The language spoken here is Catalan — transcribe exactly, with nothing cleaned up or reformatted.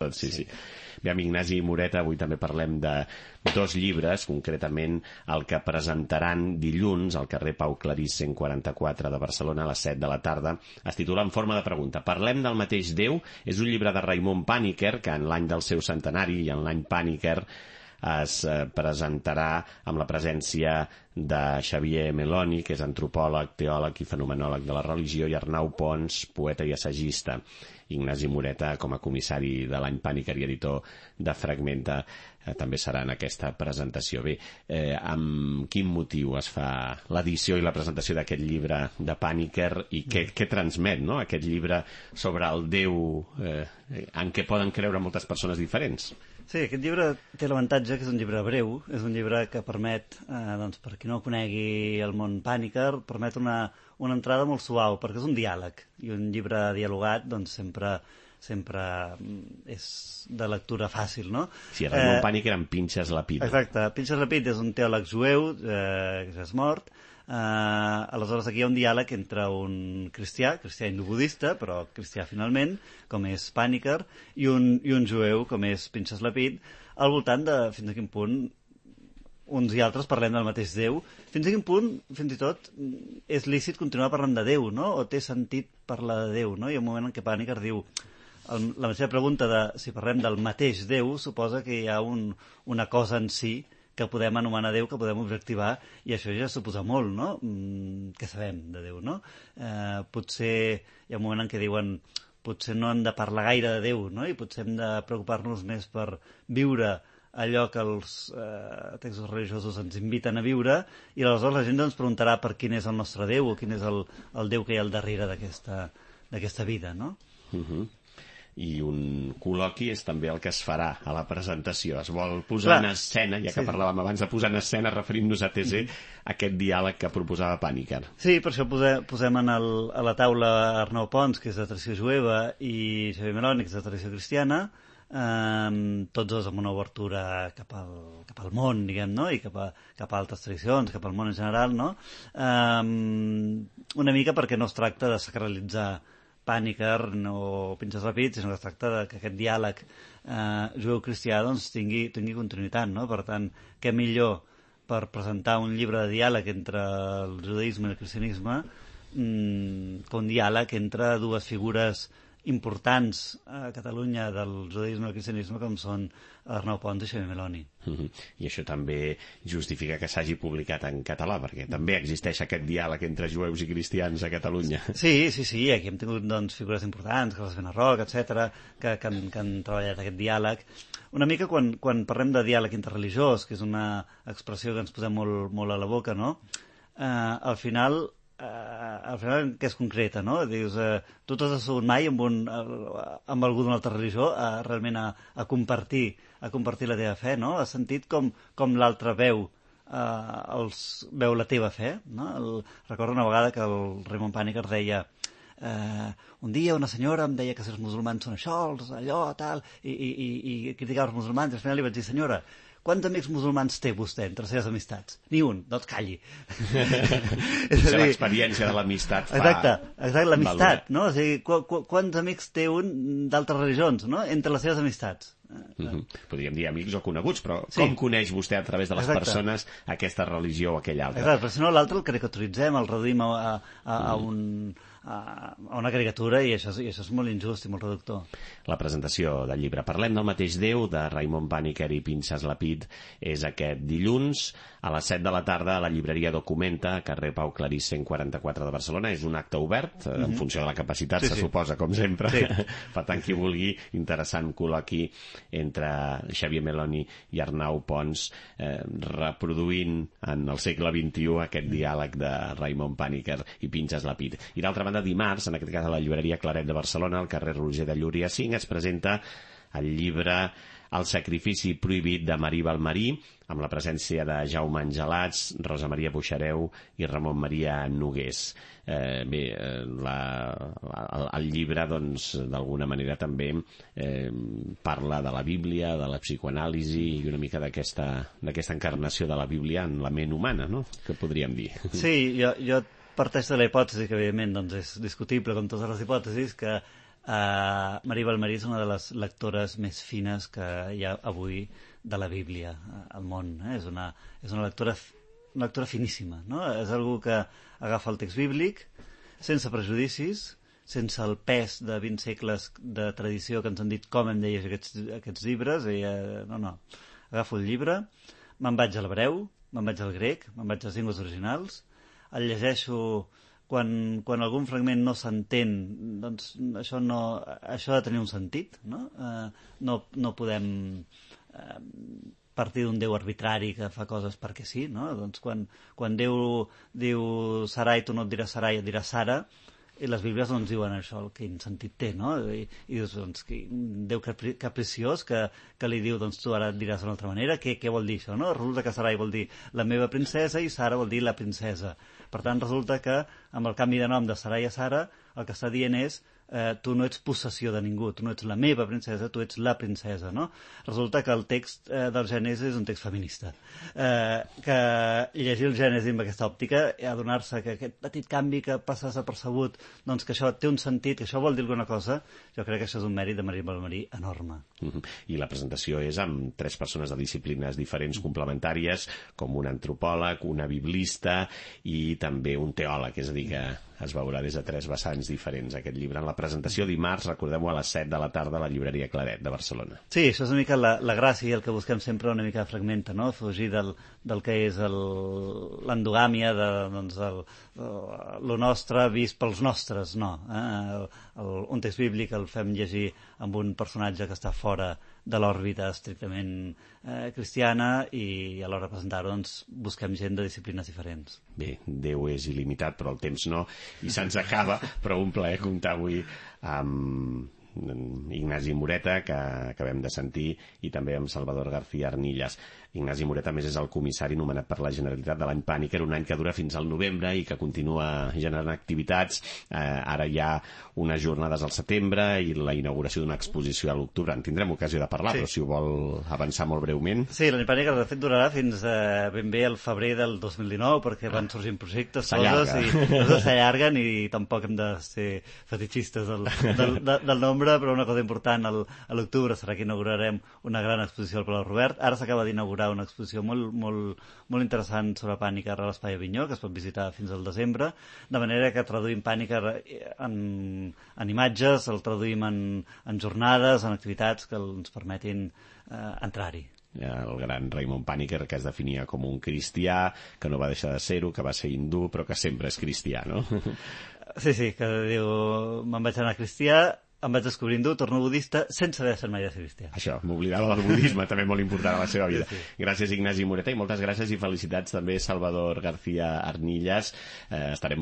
tot, sí, sí. Bé, amb Ignasi Moreta avui també parlem de dos llibres, concretament el que presentaran dilluns al carrer Pau Clarís cent quaranta-quatre de Barcelona a les set de la tarda. Es titula En forma de pregunta. Parlem del mateix Déu. És un llibre de Raimon Paniker, que en l'any del seu centenari i en l'any Paniker es presentarà amb la presència de Xavier Meloni, que és antropòleg, teòleg i fenomenòleg de la religió, i Arnau Pons, poeta i assagista. Ignasi Moreta, com a comissari de l'any Paniker i editor de Fragmenta, eh, també serà en aquesta presentació. Bé, eh, amb quin motiu es fa l'edició i la presentació d'aquest llibre de Paniker i què, què transmet, no?, aquest llibre sobre el Déu eh, en què poden creure moltes persones diferents? Sí, aquest llibre té l'avantatge que és un llibre breu, és un llibre que permet, eh, doncs, per qui no conegui el món Paniker, permet una, una entrada molt suau, perquè és un diàleg, i un llibre dialogat doncs sempre, sempre és de lectura fàcil, no? Sí, Raimon eh, Paniker amb Pinchas Lapid. Exacte, Pinchas Lapid és un teòleg jueu, eh, que ja és mort. Uh, aleshores aquí hi ha un diàleg entre un cristià, cristià hindú-budista, però cristià finalment, com és Paniker, i un, i un jueu, com és Pinchas Lapid, al voltant de fins a quin punt uns i altres parlem del mateix Déu, fins a quin punt, fins i tot, és lícit continuar parlant de Déu, no?, o té sentit parlar de Déu, no? Hi ha un moment en què Paniker diu, el, la seva pregunta de si parlem del mateix Déu suposa que hi ha un, una cosa en si que podem anomenar Déu, que podem objectivar, i això ja suposa molt, no?, mm, què sabem de Déu, no? Eh, potser hi ha un moment en què diuen potser no hem de parlar gaire de Déu, no?, i potser hem de preocupar-nos més per viure allò que els eh, textos religiosos ens inviten a viure, i aleshores la gent ens preguntarà per quin és el nostre Déu, o quin és el, el Déu que hi ha al darrere d'aquesta d'aquesta vida, no? Uh-huh. I un col·loqui és també el que es farà a la presentació. Es vol posar Clar. en escena, ja que sí. parlàvem abans de posar en escena, referint-nos a T C, mm-hmm. aquest diàleg que proposava Paniker. Sí, per això posem, posem en el, a la taula Arnau Pons, que és de tradició jueva, i Xavier Meloni, que és de tradició cristiana, eh, tots dos amb una obertura cap al, cap al món, diguem, no?, i cap a, cap a altres tradicions, cap al món en general, no? Eh, una mica perquè no es tracta de sacralitzar Paniker o Pinchas Lapid, sinó que es tracta de que aquest diàleg eh, jueu-cristià doncs, tingui, tingui continuïtat, no? Per tant, què millor per presentar un llibre de diàleg entre el judaïsme i el cristianisme mmm, que un diàleg entre dues figures importants a Catalunya del judaïsme i el cristianisme, com són Arnau Pons i Xavier Meloni. Mm-hmm. I això també justifica que s'hagi publicat en català, perquè també existeix aquest diàleg entre jueus i cristians a Catalunya. Sí, sí, sí, aquí hem tingut doncs, figures importants, Carles Benarroc, etcètera, que, que, han, que han treballat aquest diàleg. Una mica quan, quan parlem de diàleg interreligiós, que és una expressió que ens posem molt, molt a la boca, no? Eh, al final... Uh, al final que és concreta, no? Dius, uh, tu t'has assegut mai amb, un, uh, amb algú d'una altra religió uh, realment a, a compartir a compartir la teva fe, no? Has sentit com, com l'altre veu uh, els, veu la teva fe, no? El, recordo una vegada que el Raimon Paniker deia uh, un dia una senyora em deia que si els musulmans són això, els allò, tal, i, i, i, i criticava els musulmans, i al final li vaig dir, senyora, quants amics musulmans té vostè entre les seves amistats? Ni un, doncs calli. És a dir, l'experiència de l'amistat fa... Exacte, exacte, l'amistat, no? O sigui, qu qu quants amics té un d'altres religions, no?, entre les seves amistats. Mm-hmm. Podríem dir amics o coneguts, però sí. Com coneix vostè a través de les Exacte. persones aquesta religió o aquella altra? Exacte, però si no l'altre el caricaturitzem, el reduïm a, a, a, a un... a una caricatura, i això, i això és molt injust i molt reductor. La presentació del llibre Parlem del mateix Déu, de Raimon Paniker i Pinchas Lapid, és aquest dilluns a les set de la tarda a la llibreria Documenta, carrer Pau Clarís cent quaranta-quatre de Barcelona. És un acte obert, mm-hmm. en funció de la capacitat, sí, se sí. suposa, com sempre. Sí. Per tant, qui vulgui, interessant col·loqui entre Xavier Meloni i Arnau Pons, eh, reproduint en el segle vint-i-u aquest diàleg de Raimon Paniker i Pinchas Lapid. I d'altra banda, dimarts, en aquest cas a la llibreria Claret de Barcelona, al carrer Roger de Llúria cinc, es presenta el llibre El sacrifici prohibit de Marí Balmarí, amb la presència de Jaume Angelats, Rosa Maria Buixareu i Ramon Maria Nogués. Eh, bé, eh, la, el, el llibre, doncs, d'alguna manera també eh, parla de la Bíblia, de la psicoanàlisi i una mica d'aquesta d'aquesta encarnació de la Bíblia en la ment humana, no?, que podríem dir. Sí, jo, jo parteix de la hipòtesi, que evidentment doncs, és discutible com totes les hipòtesis, que Uh, Marie Balmerí és una de les lectores més fines que hi ha avui de la Bíblia al món. Eh? És, una, és una, lectora, una lectora finíssima. No? És algú que agafa el text bíblic sense prejudicis, sense el pes de vint segles de tradició que ens han dit com hem de llegir aquests, aquests llibres. Ella, no, no. Agafo el llibre, me'n vaig a l'hebreu, me'n vaig al grec, me'n vaig a les llengües originals, el llegeixo. Quan, quan algun fragment no s'entén, doncs això, no, això ha de tenir un sentit, no? Eh, no, no podem eh, partir d'un Déu arbitrari que fa coses perquè sí, no? Doncs quan, quan Déu diu Sarai, tu no et diràs Sarai, et diràs Sara, i les Bíblies no ens diuen això, quin sentit té, no? I, i dius, doncs, un Déu capriciós que, que li diu, doncs tu ara et diràs d'una altra manera, què, què vol dir això, no? Resulta que Sarai vol dir la meva princesa i Sara vol dir la princesa. Per tant, resulta que amb el canvi de nom de Sarai a Sara, el que està dient és eh, tu no ets possessió de ningú, tu no ets la meva princesa, tu ets la princesa, no? Resulta que el text eh, del Gènesi és un text feminista. Eh, que llegir el Gènesi amb aquesta òptica i adonar-se que aquest petit canvi que passa desapercebut, doncs que això té un sentit, que això vol dir alguna cosa, jo crec que això és un mèrit de Marie Balmerí enorme. Mm-hmm. I la presentació és amb tres persones de disciplines diferents complementàries, com un antropòleg, una biblista i també un teòleg, és a dir, que es veurà des de tres vessants diferents aquest llibre. En la presentació dimarts, recordem-ho, a les set de la tarda a la llibreria Claret de Barcelona. Sí, això és una mica la, la gràcia, el que busquem sempre una mica de fragmenta, no? Fugir del, del que és l'endogàmia, de, doncs, el, lo nostre vist pels nostres, no. Eh? El, el, un text bíblic el fem llegir amb un personatge que està fora de l'òrbita estrictament eh, cristiana i a l'hora de presentar-ho doncs, busquem gent de disciplines diferents. Bé, Déu és il·limitat, però el temps no, i se'ns acaba, però un plaer comptar avui amb Ignasi Moreta, que acabem de sentir, i també amb Salvador García Arnillas. Ignasi Moreta, a més, és el comissari nomenat per la Generalitat de l'any Pàniker, un any que dura fins al novembre i que continua generant activitats. Eh, ara hi ha unes jornades al setembre i la inauguració d'una exposició a l'octubre. En tindrem ocasió de parlar, sí. Però si ho vol avançar molt breument. Sí, l'any Pàniker, de fet, durarà fins eh, ben bé al febrer del dos mil dinou, perquè van sorgint projectes, coses, i coses s'allarguen i tampoc hem de ser fetichistes del, del, del, del nombre, però una cosa important, el, a l'octubre serà que inaugurarem una gran exposició al Palau Robert. Ara s'acaba d'inaugurar una exposició molt, molt, molt interessant sobre Pàniker a l'Espai Avinyó, que es pot visitar fins al desembre, de manera que traduïm Pàniker en, en imatges, el traduïm en, en jornades, en activitats que ens permetin eh, entrar-hi. El gran Raymond Pàniker, que es definia com un cristià, que no va deixar de ser-ho, que va ser hindú, però que sempre és cristià, no? Sí, sí, que diu, me'n vaig anar cristià, em vaig descobrir hindú, torno budista, sense haver estat mai de ser cristià. Això, m'oblidava del budisme, també molt important a la seva vida. Sí, sí. Gràcies, Ignasi Moreta, i moltes gràcies i felicitats també, Salvador García Arnillas. Eh, estarem